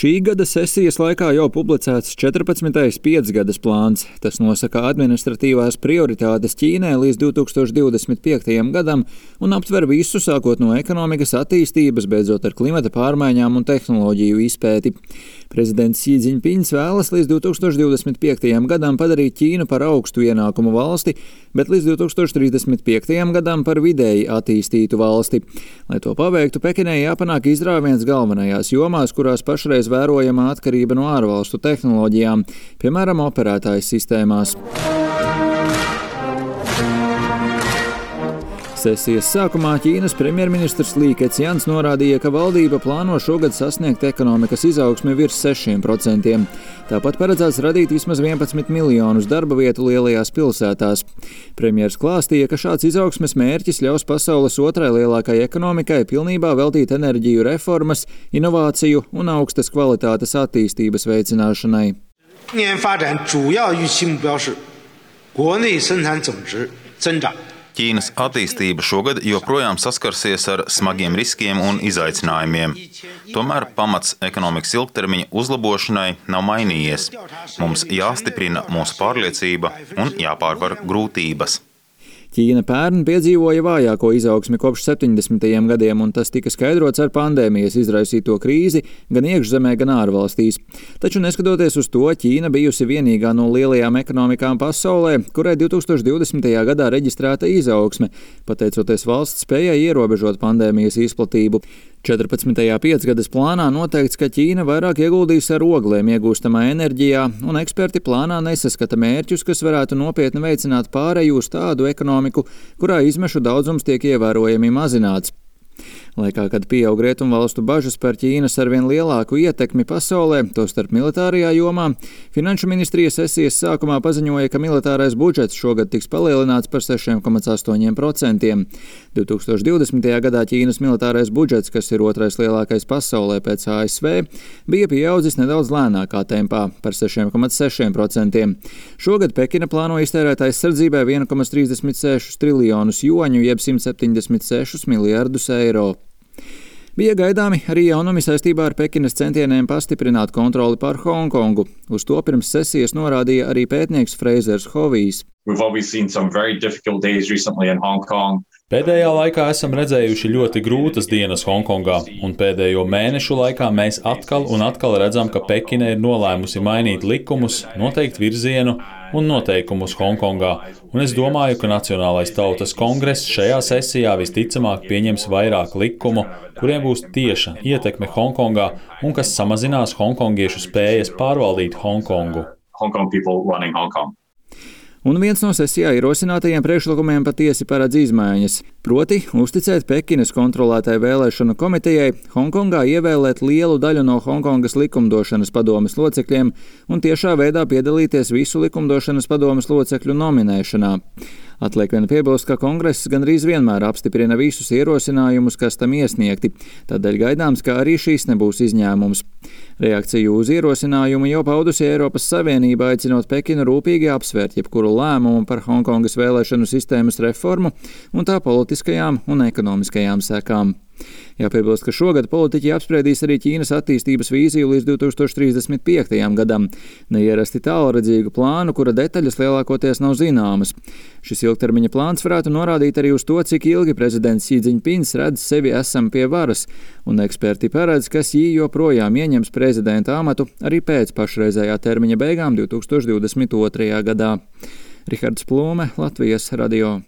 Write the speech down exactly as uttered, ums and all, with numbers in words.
Šī gada sesijas laikā jau publicēts četrpadsmitais piecgadas plāns. Tas nosaka administratīvās prioritātes Ķīnai līdz divi tūkstoši divdesmit piektajam gadam un aptver visu, sākot no ekonomikas attīstības, beidzot ar klimata pārmaiņām un tehnoloģiju izpēti. Prezidents Xi Jinpings vēlas līdz divi tūkstoši divdesmit piektajam gadam padarīt Ķīnu par augstu ienākumu valsti, bet līdz divi tūkstoši trīsdesmit piektajam gadam par vidēji attīstītu valsti. Lai to paveiktu, Pekinai jāpanāk izrāviens galvenajās jomās, kurās pašreiz vērojama atkarība no ārvalstu tehnoloģijām, piemēram, operētājas sistēmās. Sesijas sākumā Ķīnas premjerministrs Lī Kecjans norādīja, ka valdība plāno šogad sasniegt ekonomikas izaugsmi virs sešiem procentiem. Tāpat paredzēts radīt vismaz vienpadsmit miljonus darba vietu lielajās pilsētās. Premjers klāstīja, ka šāds izaugsmes mērķis ļaus pasaules otrai lielākai ekonomikai pilnībā veltīt enerģiju reformas, inovāciju un augstas kvalitātes attīstības veicināšanai. Ķīnas attīstība šogad joprojām saskarsies ar smagiem riskiem un izaicinājumiem. Tomēr pamats ekonomikas ilgtermiņa uzlabošanai nav mainījies. Mums jāstiprina mūsu pārliecība un jāpārvar grūtības. Ķīna pērn piedzīvoja vājāko izaugsmi kopš septiņdesmitajiem gadiem, un tas tika skaidrots ar pandēmijas izraisīto krīzi gan iekšzemē, gan ārvalstīs. Taču neskatoties uz to, Ķīna bijusi vienīgā no lielajām ekonomikām pasaulē, kurai divi tūkstoši divdesmitajā gadā reģistrēta izaugsme, pateicoties valsts spējai ierobežot pandēmijas izplatību. četrpadsmitajā piecgadas plānā noteikts, ka Ķīna vairāk ieguldīs ar oglēm iegūstamā enerģijā, un eksperti plānā nesaskata mērķus, kas varētu nopietni veicināt pāreju uz tādu ekonomiku, kurā izmešu daudzums tiek ievērojami mazināts. Laikā, kad pieaug rietumvalstu bažas par Ķīnas arvien lielāku ietekmi pasaulē, tostarp militārajā jomā, Finanšu ministrija sesijas sākumā paziņoja, ka militārais budžets šogad tiks palielināts par sešiem komats astoņiem procentiem. divi tūkstoši divdesmitajā gadā Ķīnas militārais budžets, kas ir otrais lielākais pasaulē pēc A S V, bija pieaudzis nedaudz lēnākā tempā par sešiem komats sešiem procentiem. Šogad Pekina plāno iztērēt aizsardzībai viens komats trīsdesmit sešus triljonus juaņu, jeb simt septiņdesmit sešus miljardus eiro. Bija gaidāmi arī jaunumi saistībā ar Pekinas centieniem pastiprināt kontroli pār Hongkongu. Uz to pirms sesijas norādīja arī pētnieks Freizers Hovijs. Pēdējā laikā esam redzējuši ļoti grūtas dienas Hongkongā, un pēdējo mēnešu laikā mēs atkal un atkal redzam, ka Pekina ir nolēmusi mainīt likumus, noteikt virzienu un noteikumus Hongkongā, un es domāju, ka Nacionālais tautas kongress šajā sesijā visticamāk pieņems vairāk likumu, kuriem būs tieša ietekme Hongkongā un kas samazinās hongkongiešu spējas pārvaldīt Hongkongu. Un viens no sesijā ierosinātajiem priekšlikumiem patiesi paredz izmaiņas, proti uzticēt Pekinas kontrolētai vēlēšanu komitejai Hongkongā ievēlēt lielu daļu no Hongkongas likumdošanas padomes locekļiem un tiešā veidā piedalīties visu likumdošanas padomes locekļu nominēšanā. Atliek vien piebilst, ka kongress gandrīz vienmēr apstiprina visus ierosinājumus, kas tam iesniegti, tādēļ gaidāms, ka arī šīs nebūs izņēmums. Reakciju uz ierosinājumu jau paudusi Eiropas Savienība, aicinot Pekinu rūpīgi apsvērt jebkuru lēmumu par Hongkongas vēlēšanu sistēmas reformu un tā politiskajām un ekonomiskajām sekām. Jāpiebilst, ka šogad politiķi apspriedīs arī Ķīnas attīstības vīziju līdz divi tūkstoši trīsdesmit piektajam gadam, neierasti tālredzīgu plānu, kura detaļas lielākoties nav zināmas. Šis ilgtermiņa plāns varētu norādīt arī uz to, cik ilgi prezidents Xi Jinpings redz sevi esam pie varas, un eksperti paredz, ka Xi joprojām ieņems prezidenta amatu arī pēc pašreizējā termiņa beigām divi tūkstoši divdesmit otrajā gadā. Rihards Plūme, Latvijas radio.